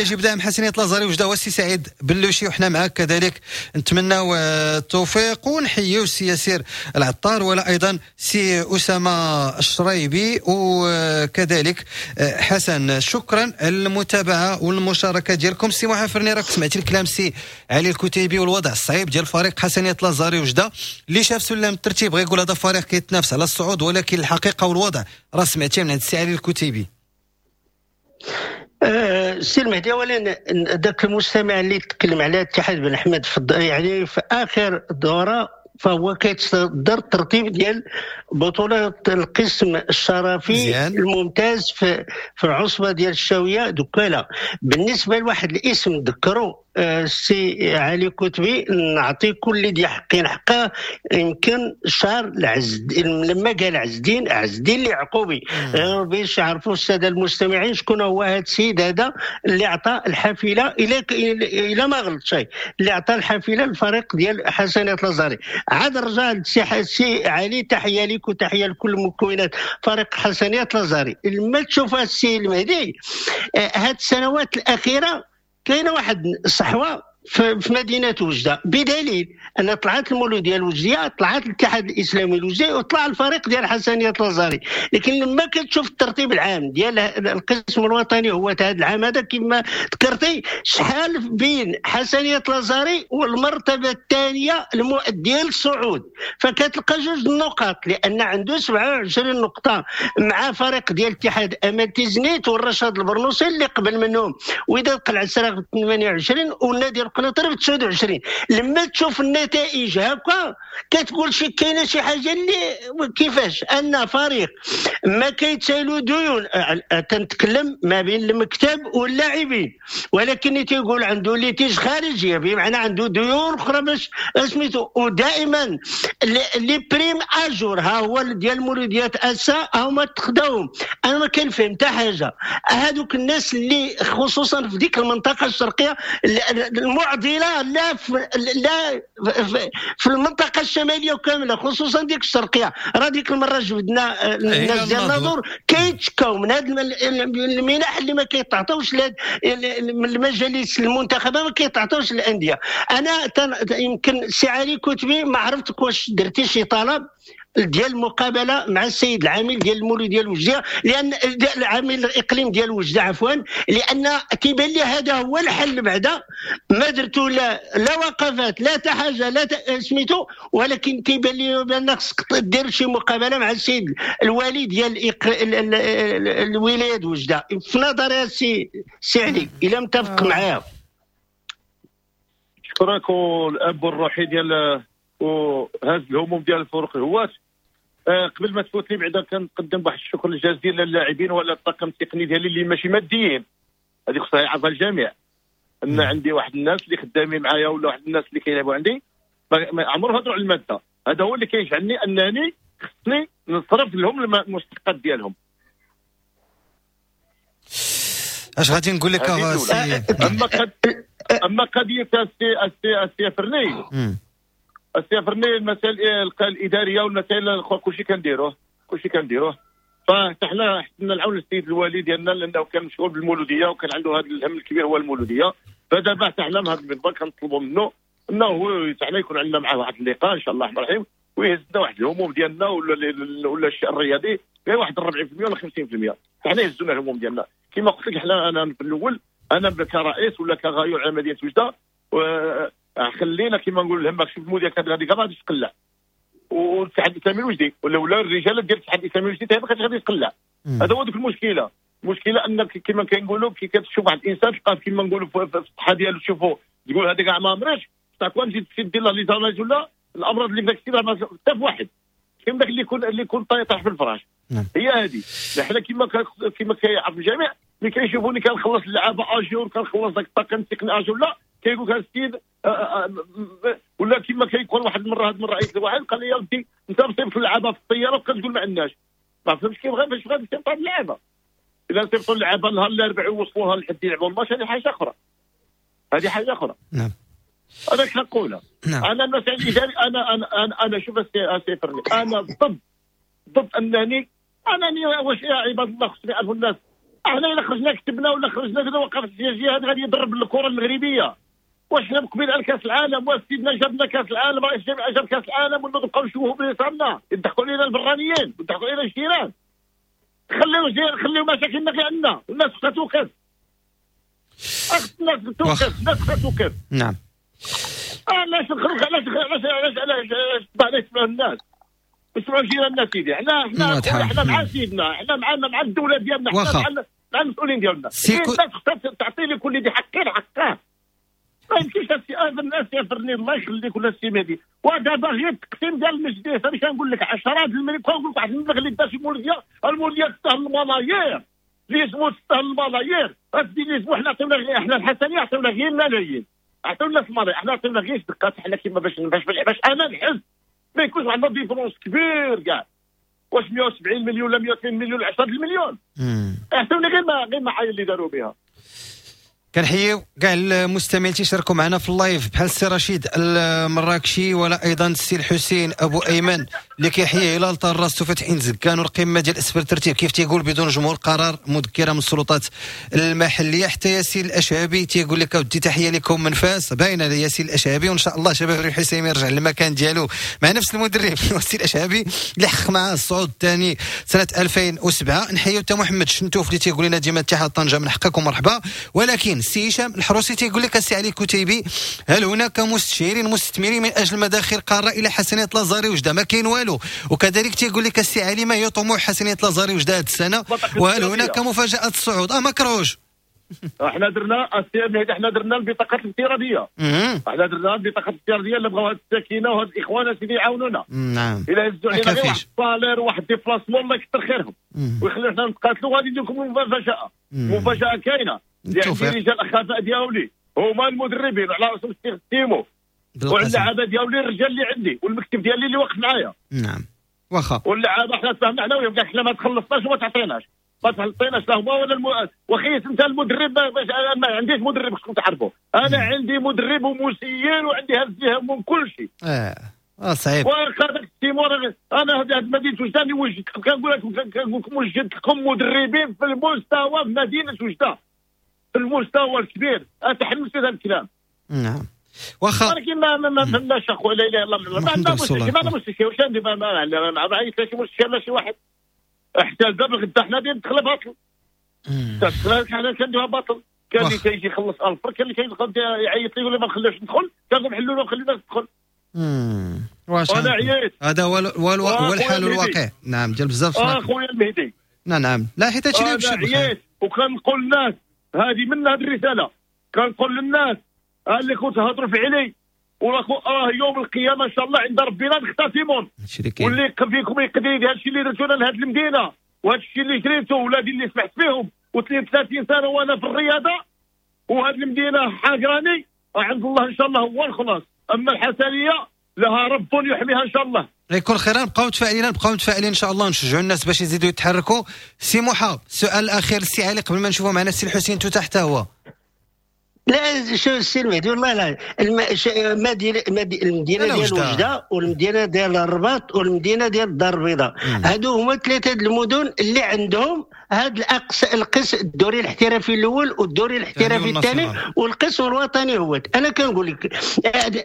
يجب دعم حسنية لازاري وجده والسي سعيد بلوشي وحنا معاك كذلك، نتمناو التوفيق. ونحييو السي ياسير العطار ولا ايضا سي اسامة الشرايبي وكذلك حسن. شكرا على المتابعة والمشاركة ديالكم. سي موحى فرني راك سمعتي الكلام سي علي الكتيبي والوضع الصعيب ديال فريق حسنية لازاري وجده اللي شاف سلم الترتيب غيقول هذا فريق كيتنافس على الصعود، ولكن الحقيقة والوضع راه سمعتي من عند السي علي الكتيبي. السي المهدي، اولا ذاك المستمع اللي تكلم على اتحاد بن احمد يعني في اخر دوره فهو كيتصدر الترتيب ديال بطولة القسم الشرفي مزيان. الممتاز في العصبة ديال الشاوية دكالة. بالنسبة لواحد الاسم ذكروا السي علي كتبي، نعطي كل دي حقين حقه. يمكن شهر العز لما قال عز الدين اليعقوبي، باش يعرفوا السادة المستمعين شكون هو هذا السيد هذا اللي عطى الحافلة الى ما غلط شيء، اللي عطى الحافلة للفريق ديال حسنات لازاري. عاد رجع السي علي، تحية لك وتحية لكل مكونات فريق حسنات لازاري. لما تشوف السي المهدي هاد السنوات الاخيرة كاينه واحد الصحوة في مدينة وجده، بدليل ان طلعت المولوديه الوجديه، طلعت الاتحاد الاسلامي الوجدي، وطلع الفريق ديال حسنيه لازاري. لكن لما كتشوف الترتيب العام ديال القسم الوطني هو هذا العام هذا كما ذكرتي، شحال بين حسنيه لازاري والمرتبة الثانية المؤدية للصعود، فكتلقى جوج النقاط، لان عنده 27 نقطة مع فريق ديال الاتحاد امل تيزنيت والرشاد البرنوسي اللي قبل منهم، وإذا قلع السراغ 28 والنادي القنيطري ب 29. لما تشوف النتائج هكا كتقول شي كاينه شي حاجة اللي كيفاش ان فريق ما كيتسالو ديون، تنتكلم ما بين المكتب واللاعبين، ولكن تيقول عنده litiges خارجية، بمعنى عنده ديون اخرى باش سميتو. ودائما les primes à jour ها هو ديال مولوديات اسا هما تخداوهم. انا ما كنفهم حتى حاجة، هذوك الناس اللي خصوصا في ديك المنطقة الشرقية المعضلة، لا في المنطقة الشمالية كاملة خصوصا ديك الشرقية. راه ديك المرة جبدنا الناس ديال الناظور كيتشكاو من هاد المنح اللي ما كيتعطاوش من المجالس المنتخبه، ما كيتعطاوش للاندية. انا يمكن سي علي كتبي ما عرفتك واش درتي شي طلب ديال المقابلة مع السيد العامل ديال المولوديه ديال وجده، لان العامل الاقليم ديال وجده عفوا، لان كيبان لي هذا هو الحل. بعدا ما درتو لا وقفات لا حتى حاجة لا سميتو، ولكن كيبان لي بان خصك دير شي مقابله مع السيد الوالي ديال الولاية وجده. في نظري السي علي الا متفق معايا. شكرا. والاب الروحي ديال وهز الهموم ديال الفرق الهواة. قبل ما تفوتني بعدا كنقدم واحد الشكر الجزيل للاعبين ولا الطاقم التقني ديالي اللي ماشي ماديين، هذه خصها يعرفها الجميع، ان عندي واحد الناس اللي خدامين معايا ولا واحد الناس اللي كيلعبوا عندي ما عمرهم هضروا على المادة. هذا هو اللي كيجعلني انني خصني نصرف لهم المستحقات ديالهم. اش غادي نقول لك؟ اما قضية السي فرني، السي فرني المسائل الادارية والمسائل الاخرى كلشي كنديروه، كلشي كنديروه. فحتى حنا حسنا العون للسيد الوالي ديالنا لانه كان مشغول بالمولوديه وكان عنده هذا الهم الكبير هو المولوديه. فدابا حتى حنا من هذا المنبر كنطلبوا منه انه هو حنا يكون عندنا معاه واحد اللقاء ان شاء الله الرحمن الرحيم، ويهزنا واحد الهموم ديالنا ولا الشيء الرياضي غير واحد 40% ولا 50%، حنا يهزونا الهموم ديالنا. كما قلت لك حنا انا في الاول انا كرئيس ولا كغايور على مدينة وجده خلينا كما نقول الهم شوف المولوديه كانت غادي كاع غادي تقلع، والاتحاد الاسلامي الوجدي ولا الرجال ديال الاتحاد الاسلامي الوجدي حتى ما كانش غادي يتقلع. هذا هو ديك المشكلة. المشكلة انك كما كنقولوا كي كتشوف واحد الانسان تلقاه كما نقولوا في الصحة ديالو تشوفوا تقول هذا كاع ما مريش، بصح كون تجي دير له les analyses ولا الامراض اللي في داك الشيء راه حتى في واحد كاين داك اللي يكون طايح في الفراش. هي هذه حنا كما كيعرف الجميع ملي كيشوفوني كنخلص اللعابه à jour كنخلص داك الطاقم التقني à jour لا كيقول لك السيد ولا كما كيكون واحد المرة هاد المرة عيط لواحد قال لي يا ودي انت مصيفط اللعابه في الطيارة وكتقول ما عندناش. ما فهمتش كيف باش غادي تصيفط هاد اللعابه. الا صيفطوا اللعابه نهار الاربعاء ووصلوها لحد يلعبوا الماتش هذه حاجة اخرى، هذه حاجة اخرى. نعم انا كنقولها. نعم. انا المسائل الاداري انا انا انا, أنا شوف السي فرني انا ضد انني واش يا عباد الله خصني يعرفوا الناس احنا الا خرجنا كتبنا ولا خرجنا كذا وقفت السياسية هذا غادي يضرب الكره المغربية. واش حنا مقبل على كاس العالم؟ واش سيدنا جابنا كاس العالم؟ رئيس الجامعة جاب كاس العالم ولا نبقاو نشوفوا بليصالنا يضحكوا علينا البرانيين ويضحكوا علينا الجيران. خليو مشاكلنا غير عندنا، الناس خصها توقف. الناس توقف، الناس خصها توقف. نعم. علاش نخرج؟ علاش علاش علاش علاش علاش يسمعوا الناس؟ يسمعوا جيراننا سيدي. حنا مع سيدنا، حنا مع الدولة ديالنا، حنا مع المسؤولين ديالنا. الناس خصها تعطي لكل ذي حق حقه. ما يمكنش الناس يفرني الله يخليك ولا السي مهدي. ودابا غير التقسيم ديال المجلس انا كنقول لك 10 المليون، كنقول لك واحد المبلغ اللي دا شي مولوديه، المولوديه تستاهل الملايير، ليزمو تستاهل الملايير، غادي ليزمو حنا عطيونا غير حنا الحسنيه عطيونا غير الملايين، عطيونا الملايين، حنا عطيونا غير دقات حنا كيما باش باش انا نحس ما يكونش عندنا différence كبير كاع. واش 170 مليون ولا 102 مليون 10 المليون عطيونا غير المعايير اللي داروا بها. كنحييو كاع المستمعين تيشاركوا معنا في ال live بحال السي رشيد المراكشي ولا ايضا السي الحسين ابو ايمن اللي كيحيي هلال طراس وفتحين زكان والقمه ديال اسفل الترتيب كيف تيقول بدون جمهور قرار مذكره من السلطات المحلية. حتى ياسين الاشعبي تيقول لك اودي تحية لكم من فاس، باينة ياسين الاشعبي، وان شاء الله شباب الحسيمي يرجع للمكان ديالو مع نفس المدرب ياسين الاشعبي اللي حقق معاه الصعود الثاني سنة 2007. نحييو حتى محمد شنتوف اللي تيقول لنا ديما اتحاد طنجه من حقكم مرحبا. ولكن السي هشام الحروسي تيقول لك السي علي كتيبي هل هناك مستشيرين مستثمرين من اجل مداخل قارة الى حسنيه لازاري وجده؟ ما كاين والو. وكذلك تيقول لك السي علي ما هي طموح حسنيه لازاري وجده هذه السنة وهل هناك مفاجاة الصعود؟ ما كرهوش. احنا درنا السي احنا درنا البطاقات الافتراضية، احنا درنا البطاقات الافتراضية اللي بغاو هاد الساكنة وهاد الاخوان سيدي يعاونونا. نعم. الى هزوا علينا غير واحد ال salaire وواحد déplacement الله يكثر خيرهم ويخلينا حنا نتقاتلوا. غادي ندير لكم مفاجاة، مفاجاة كاينه يعني رجال الخفاء ديالي هما المدربين على راسهم السي سيمو واللعابه ديالي الرجال اللي عندي والمكتب ديالي اللي واقف معايا. نعم واخا. واللعابه حنا تفاهمنا حنا وياهم حنا ما تخلصناش وما تعطيناش، ما تعطيناش لا هما ولا وخيت انت المدرب. باش انا ما عنديش مدرب خصكم تعرفوا، انا عندي مدرب ومسير وعندي هز من كل شيء. صعيب. وهذاك السيمو انا هذه مدينة وجده وجدت كنقول لكم وجدت لكم مدربين في المستوى في مدينة وجده في المستوى الكبير. اتحمس هذا الكلام. نعم. واخا ولكن ما فهمناش اخويا، لا اله الا الله، ما عندنا مستشفى، ما عندنا مستشفى، واش عندي ما عيط شي مستشفى لا شي واحد حتى دابا غدا حنا ندخل باطل، حنا كنديروها باطل. كان اللي كيجي يخلص 1000، كان اللي كيدخل يعيط لي يقول لي ما نخليوش ندخل، كنقول حلوا له خلينا ندخل. واش انا عييت. هذا هو الحال الواقع. نعم ديال بزاف اخويا المهدي. نعم لا حيت هادشي اللي مشى عييت. وكنقول للناس هذه من هذه الرسالة، كنقول للناس اللي كنت تهضروا في علي وراه يوم القيامة ان شاء الله عند ربنا نختصمون، واللي فيكم يقدر يدير هادشي اللي درتونا لهاد المدينة وهادشي اللي جريتو ولادي اللي سمحت فيهم و33 سنة وانا في الرياضة وهاد المدينة حاقراني، عند الله ان شاء الله هو الخلاص. اما الحسنيه لها رب يحميها ان شاء الله. يكون خير. نبقاو متفائلين، نبقاو متفائلين ان شاء الله، نشجعوا الناس باش يزيدوا يتحركوا. سي موحى، السؤال الاخير السي علي قبل ما نشوفوا معنا السي الحسين تو تحت هو. لا شوف السي المهدي والله لا المدينة ديال وجده والمدينة ديال الرباط والمدينة ديال الدار البيضاء، هادو هما ثلاثة المدن اللي عندهم هاد القسم الدوري الاحترافي الاول والدوري الاحترافي الثاني والقسم الوطني هو. انا كنقول لك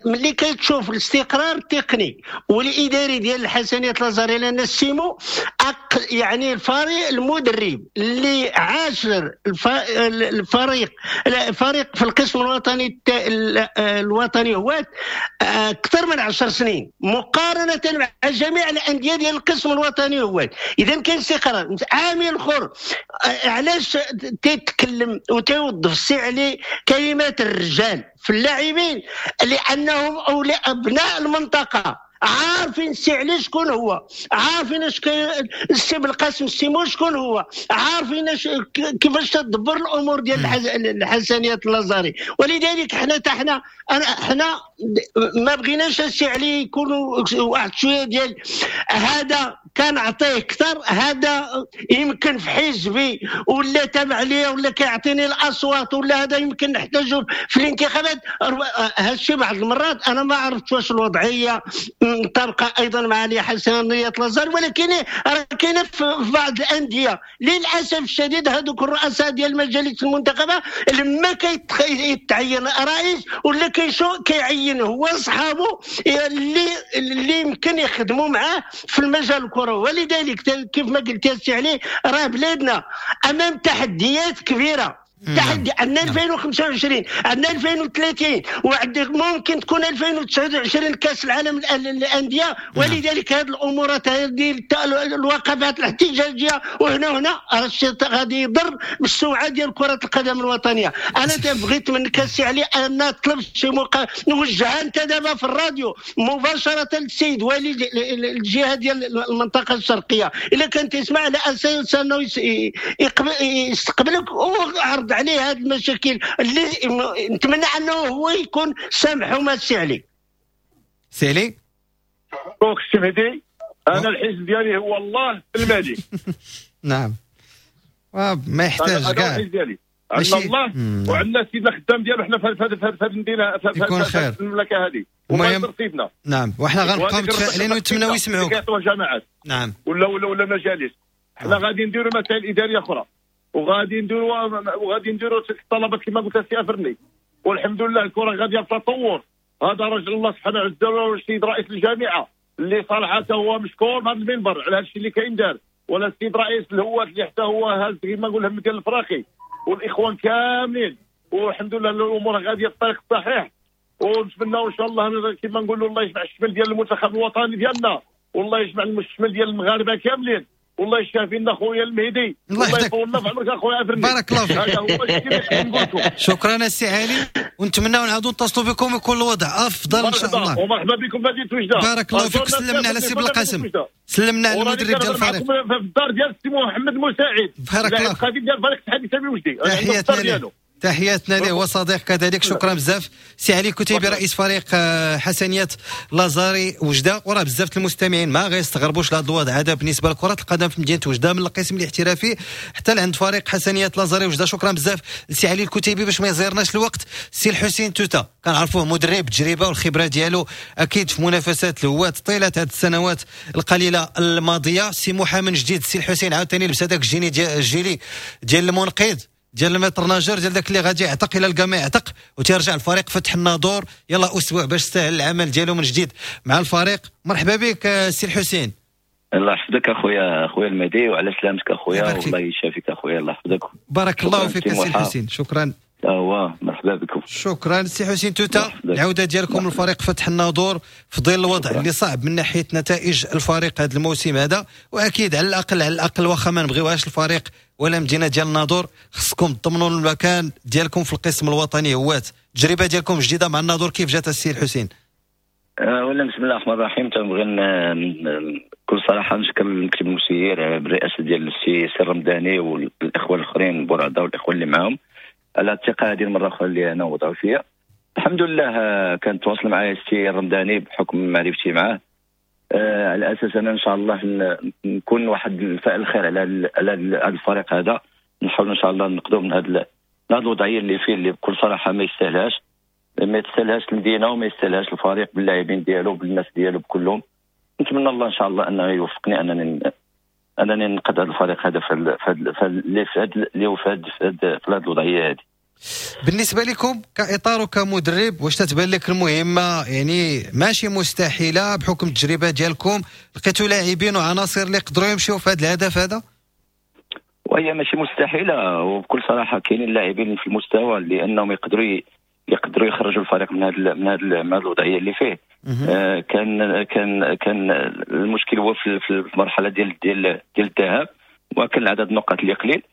ملي كتشوف الاستقرار التقني والاداري ديال الحسنيات لازاري، لان السيمو يعني الفريق المدرب اللي عاشر الفريق في القسم الوطني الوطني هو اكثر من 10 سنين مقارنة مع جميع الاندية ديال القسم الوطني هو. اذا كاين استقرار. عامل اخر علاش تيتكلم وتيوظف السي علي كلمات الرجال في اللاعبين، لانهم اولياء ابناء المنطقة، عارفين السي علي شكون هو، عارفين اش السي بالقاسم السيمو شكون هو، عارفين كيفاش تدبر الامور ديال الحسنيات اللازاري. ولذلك حنا حنا حنا ما بغيناش السي علي يكونوا واحد شوية ديال هذا كنعطيه اكثر، هذا يمكن في حزبي ولا تابع ليا ولا كيعطيني الاصوات ولا هذا يمكن نحتاجه في الانتخابات. هادشي بعض المرات انا ما عرفتش واش الوضعية مطابقه ايضا مع الحسنيات لازار، ولكن راه كاينه في بعض الاندية للاسف الشديد هذوك الرؤساء ديال المجالس المنتخبه لما كيتعين رئيس ولا كيعين هو صحابه اللي يمكن يخدموا معاه في المجال الكروي. ولذلك كيف ما قلت يا سي علي راه بلادنا امام تحديات كبيرة، تحدي عندنا 2025 عندنا 2030 وعندك ممكن تكون 2029 كاس العالم للاندية. ولذلك هذه الامورات هذه الوقفات الاحتجاجية وهنا وهنا راه الشيء غادي يضر بالسمعه ديال كره القدم الوطنية. انا بغيت منك السي علي ان نطلب شي نوجهها انت دابا في الراديو مباشرة للسيد والي الجهة ديال المنطقة الشرقية، الا كان تسمع على اساس انه يستقبلك وعرض عليه هذه المشاكل اللي نتمنى انه هو يكون سامح وما سي علي. سي علي donc السي مهدي، انا الحزب ديالي هو الله المالي. نعم ما يحتاج كاع الحزب ديالي عندنا الله وعندنا سيدنا خدام ديالو حنا في هذه المدينة في المملكة هذه وما سيدنا. نعم وحنا غنبقاو متفائلين ونتمناو يسمعوك. نعم ولا ولا ولا مجالس حنا غادي نديروا مسائل ادارية اخرى وغادي نديروا الطلبات كما قلت السي افرني، والحمد لله الكره غادية في تطور. هذا رجل الله سبحانه عز وجل والسيد رئيس الجامعة اللي صراحة هو مشكور من هذا المنبر على هذا الشيء اللي كاين دار، ولا السيد رئيس الهواة اللي حتى هو هاز كما نقول هم ديال الفراقي والاخوان كاملين، والحمد لله الامور غادية في الطريق الصحيح. ونتمناو ان شاء الله كما نقولوا الله يجمع الشمل ديال المنتخب الوطني ديالنا، والله يجمع الشمل ديال المغاربة كاملين، والله يشافي لنا خويا المهدي، الله يطول لنا في عمرك اخويا افرني. بارك الله فيك. شكرا السي علي، ونتمناو نعاودوا نتصلوا بكم ويكون الوضع افضل ان شاء الله. ومرحبا بكم في مدينة وجده. بارك الله فيك. سلمنا على السي بالقاسم، سلمنا على المدرب ديال الفريق في الدار ديال السي محمد مساعد. بارك الله فيك. القديم ديال فريق الاتحاد الاسلامي وجدي. تحياتنا له، تحياتنا له وصديق كذلك. شكرا بزاف سي علي كتيبي رئيس فريق حسنيات لازاري وجده. وراه بزاف المستمعين ما غيستغربوش لهذا الوضع هذا بالنسبة لكرة القدم في مدينة وجده من القسم الاحترافي حتى لعند فريق حسنيات لازاري وجده. شكرا بزاف سي علي الكتيبي. باش ما يزيرناش الوقت، سي الحسين توتا كنعرفوه مدرب التجربة والخبرة ديالو اكيد في منافسات الهواة طيلة هذه السنوات القليلة الماضية. سي محمد جديد، سي الحسين عاوتاني لبس هذاك الجيلي ديال المنقذ. ديال ال maître nageur، ديال داك اللي غادي يعتق الى لقى ما يعتق، وتيرجع الفريق فتح الناظور. يلا اسبوع باش سهل العمل ديالو من جديد مع الفريق. مرحبا بك سي الحسين. الله يحفظك اخويا المهدي، وعلى سلامتك اخويا، والله يشافيك اخويا، الله يحفظك. بارك الله فيك سي الحسين، شكرا. هو مرحبا بكم. شكرا سي حسين توتا. العودة ديالكم للفريق فتح الناظور في ظل الوضع اللي صعب من ناحية نتائج الفريق هذا الموسم هذا، واكيد على الاقل واخا ما نبغيوهاش الفريق ولا مدينة ديال الناظور، خصكم تضمنوا المكان ديالكم في القسم الوطني هوات. التجربة ديالكم جديدة مع الناظور، كيف جات السي الحسين؟ اولا بسم الله الرحمن الرحيم، تنبغي بكل صراحة نشكر المكتب المسير بالرئاسه ديال السي الرمضاني والاخوة الاخرين بورعده والاخوة اللي معاهم على الثقة هذه المرة الاخرى اللي انا وضعوا فيها. الحمد لله كان تواصل معايا السي الرمضاني بحكم معرفتي معاه، على اساس انا ان شاء الله نكون واحد الفاعل الخير على هذا الفريق هذا، نحاول ان شاء الله نقدو من هذه الوضعية اللي فيه، اللي بكل صراحة ما يستاهلهاش، ما يستاهلهاش المدينة وما يستاهلهاش الفريق باللاعبين ديالو بالناس ديالو بكلهم. نتمنى الله ان شاء الله انه يوفقني انني ننقذ هذا الفريق هذا في هذه الوضعية هذه. بالنسبة لكم كاطار وكمدرب، واش تتبان لك المهمة يعني ماشي مستحيلة بحكم التجربة ديالكم؟ لقيتوا لاعبين وعناصر اللي يقدروا يمشيو في هذا الهدف هذا؟ وهي ماشي مستحيلة، وبكل صراحة كاينين لاعبين في المستوى اللي انهم يقدروا يخرجوا الفريق من هذه الوضعية اللي فيه. كان كان كان المشكل هو في المرحلة ديال ديال ديال الذهاب، وكان عدد النقاط اللي قليل،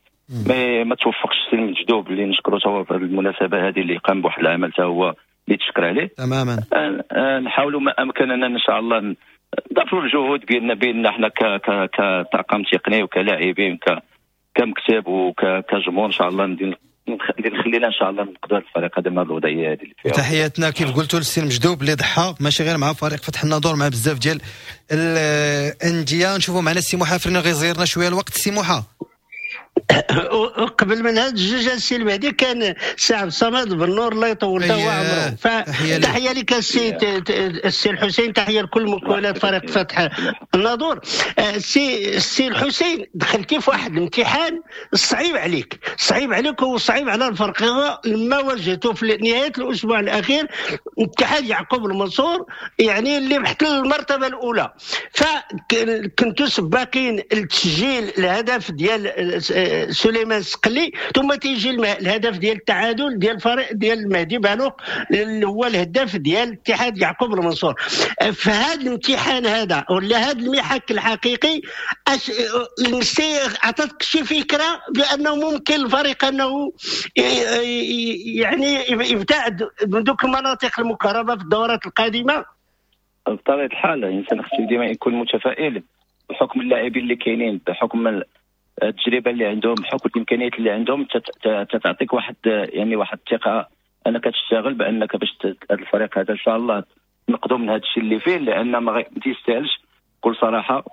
ما توفقش السي المجدوب اللي نشكرو تا هو في المناسبة هذه، اللي قام بواحد العمل تا هو اللي تشكر عليه تماما. نحاولوا ما امكننا ان شاء الله نضافروا الجهود بيننا حنا كطاقم تقني وكلاعبين كمكتب وكجمهور ان شاء الله نخلينا ان شاء الله نقدر الفريق هذا من الوضعية هذه اللي فيها. تحياتنا كيف قلتوا للسي المجدوب اللي ضحى ماشي غير مع فريق فتح الناظور، مع بزاف ديال الاندية. نشوفوا معنا السي موحى فرنا غيزيرنا شوية الوقت. السي موحى، قبل من هذا الجوج السي المهدي كان سي عبد الصمد بالنور الله يطول له عمره. فتحيه لك السي الحسين، تحية لكل مكونات فريق فتح الناظور. السي الحسين، دخلتي في واحد الامتحان صعيب عليك، صعيب عليك وصعيب على الفريق لما واجهته في نهاية الاسبوع الاخير اتحاد يعقوب المنصور، يعني اللي محتل المرتبة الاولى، فكنتوا سباقين لتسجيل الهدف ديال سليمان سقلي، ثم تيجي الهدف ديال التعادل ديال الفريق ديال المهدي بالوق اللي هو الهداف ديال اتحاد يعقوب المنصور. في هذا الامتحان هذا ولا هذا المحك الحقيقي، عطاتك شي فكرة بانه ممكن الفريق انه يعني يبتعد من دوك المناطق المكهربه في الدورات القادمة؟ بطبيعة الحال الانسان خصو ديما يكون متفائل بحكم اللاعبين اللي كاينين، بحكم التجربة اللي عندهم، بحكم الامكانيات اللي عندهم، تتعطيك واحد يعني واحد الثقة انك تشتغل بانك باش هذا الفريق هذا ان شاء الله نقدو من هذا الشيء اللي فيه، لان ما تيستاهلش بكل صراحة،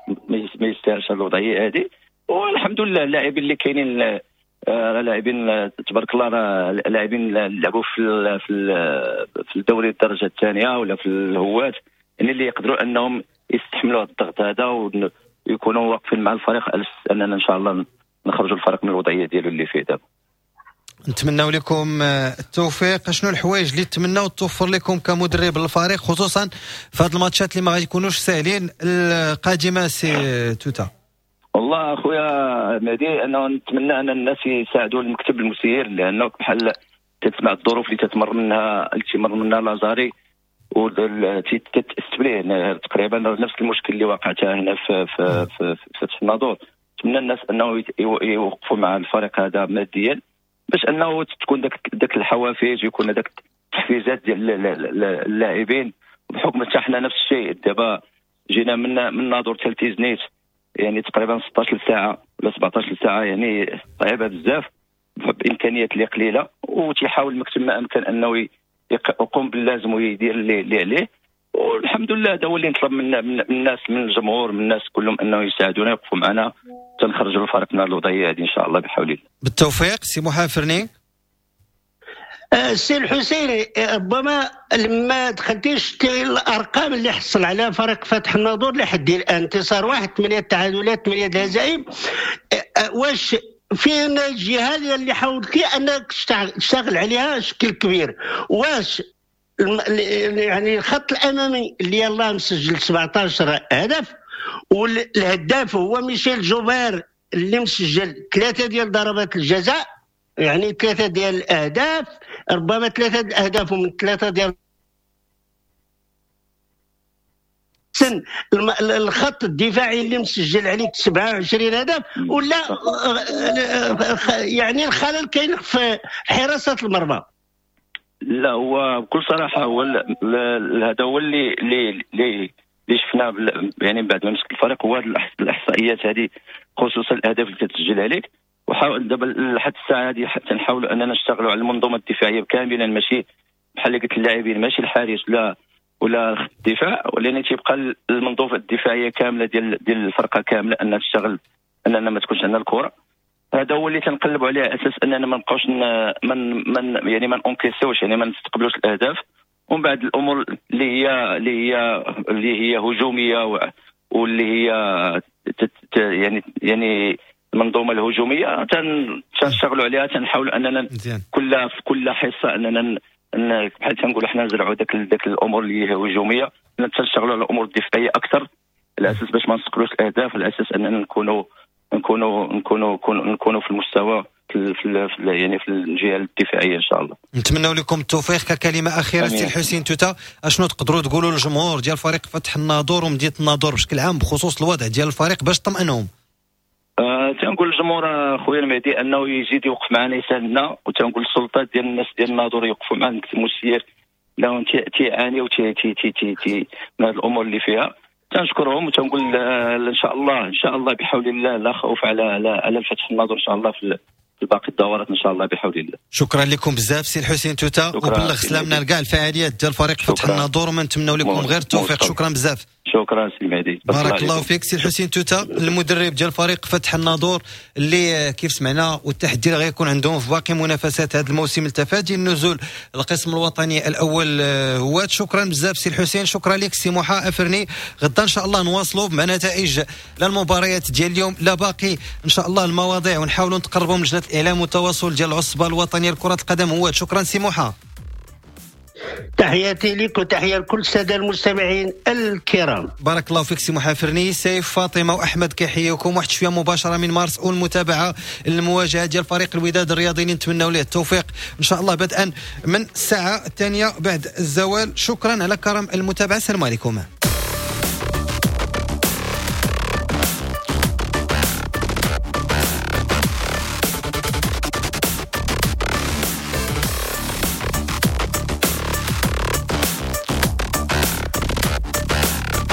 ما يستاهلش الوضعية هذه. والحمد لله اللاعبين اللي كاينين لاعبين تبارك الله، راه لاعبين لعبوا في في الدوري الدرجة الثانية ولا في الهوات، يعني اللي يقدروا انهم يستحملوا الضغط هذا ويكونوا واقفين مع الفريق اننا ان شاء الله نخرجوا الفريق من الوضعية ديالو اللي فيه دابا. نتمنوا لكم التوفيق. شنو الحوايج اللي تمناو توفر لكم كمدرب للفريق، خصوصا في هذه الماتشات اللي ما غيكونوش ساهلين القادمة سي توتا؟ والله اخويا مهدي، انا نتمنى ان الناس يساعدوا المكتب المسير، لانه بحال تتسمع الظروف اللي تتمر منها اللي تمر منها لازاري وتتستبليه تقريبا نفس المشكل اللي وقع حتى هنا في في في فتح الناظور. نتمنى الناس انه يوقفوا مع الفريق هذا ماديا باش انه تكون داك الحوافز ويكون داك التحفيزات ديال اللاعبين، بحكم حتى حنا نفس الشيء دابا جينا من ناظور حتى لتيزنيت يعني تقريبا 16 ساعة ولا 17 ساعة، يعني صعيبة بزاف بامكانيات اللي قليله، وتيحاول المكتب ما امكن انه يقوم باللازم ويدير اللي عليه. والحمد لله هذا هو اللي نطلب من الناس، من الجمهور، من الناس كلهم انه يساعدونا يوقفوا معنا تنخرجوا الفريق من الوضعية هذه ان شاء الله بحول الله. بالتوفيق سي محافرني. السي الحسيني، ربما لما دخلتيش الارقام اللي حصل على فريق فتح الناظور لحد الان، انتصار واحد، 8 تعادلات، 8 الهزائم، واش فين الجهة اللي حاولتي انك تشتغل عليها بشكل كبير؟ واش يعني الخط الامامي اللي يلاه مسجل 17 هدف، والهداف هو ميشيل جوبير اللي مسجل 3 ديال ضربات الجزاء، يعني 3 ديال الاهداف، ربما 3 الاهداف ومن 3 ديال سن الخط الدفاعي اللي مسجل عليك 27 هدف، ولا يعني الخلل كاين في حراسة المرمى؟ لا، هو بكل صراحة هو هذا هو اللي اللي اللي شفناه يعني بعد ما مسك الفريق، هو الاحصائيات هذه، خصوصا الاهداف اللي تتسجل عليك. وحاول دابا لحد الساعة هذه تنحاولوا اننا نشتغلوا على المنظومة الدفاعية كاملا، ماشي بحال اللي قلت اللاعبين، ماشي الحارس ولا خط الدفاع، ولان تيبقى المنظومة الدفاعية كاملة ديال الفرقة كاملة انها تشتغل، اننا ما تكونش عندنا الكره. هذا هو اللي تنقلبوا عليه، على اساس اننا ما نبقاوش من يعني ما نونكيسيوش، يعني ما نستقبلوش الاهداف. ومن بعد الامور اللي هي هجومية واللي هي يعني المنظومة الهجومية تنشتغلوا عليها، تنحاولوا اننا في كل حصة اننا بحال تنقولوا حنا نزرعوا داك الامور اللي هي هجومية، تنشتغلوا على الامور الدفاعية اكثر، على اساس باش ما نستقبلوش الاهداف، على اساس اننا نكونوا نكونوا نكونوا نكونوا في المستوى في يعني في الجهة الدفاعية ان شاء الله. نتمنوا لكم التوفيق. ككلمة اخيرة سي الحسين توتا، اشنو تقدروا تقولوا للجمهور ديال فريق فتح الناظور ومدينة الناظور بشكل عام بخصوص الوضع ديال الفريق باش تطمئنهم؟ تنقول للجمهور خويا المهدي انه يزيد يوقف معنا يساندنا، وتنقول للسلطات ديال الناس ديال الناظور يوقفوا معنا، المسير لهم تيعانيو تي تي تي تي من هذه الامور اللي فيها. تنشكرهم وتنقول ان شاء الله ان شاء الله بحول الله لا خوف على على الفتح الناظور ان شاء الله في باقي الدورات ان شاء الله بحول الله. شكرا لكم بزاف سي الحسين توتا، وبلغ سلامنا لكاع الفعاليات ديال فريق فتح الناظور، وما نتمنوا لكم غير التوفيق. شكرا بزاف. شكرا سي المهدي، بارك الله فيك. سي الحسين توتا المدرب ديال فريق فتح الناظور اللي كيف سمعنا والتحدي اللي غيكون عندهم في باقي منافسات هذا الموسم لتفادي النزول القسم الوطني الاول هو. شكرا بزاف سي الحسين، شكرا لك سي محا افرني. غدا ان شاء الله نواصلوا مع نتائج لا المباريات ديال اليوم لا باقي ان شاء الله المواضيع، ونحاولوا نتقربوا من لجنة الاعلام والتواصل ديال العصبة الوطنية لكرة القدم هو. شكرا سي محا، تحياتي لك وتحية لكل السادة المستمعين الكرام. بارك الله فيك سي محافرني. سيف فاطمة واحمد كيحييكم واحد شوية مباشرة من مارس والمتابعة المواجهة ديال فريق الوداد الرياضي اللي نتمناو ليه التوفيق ان شاء الله بدءا من الساعة 2 بعد الزوال. شكرا على كرم المتابعة، السلام عليكم.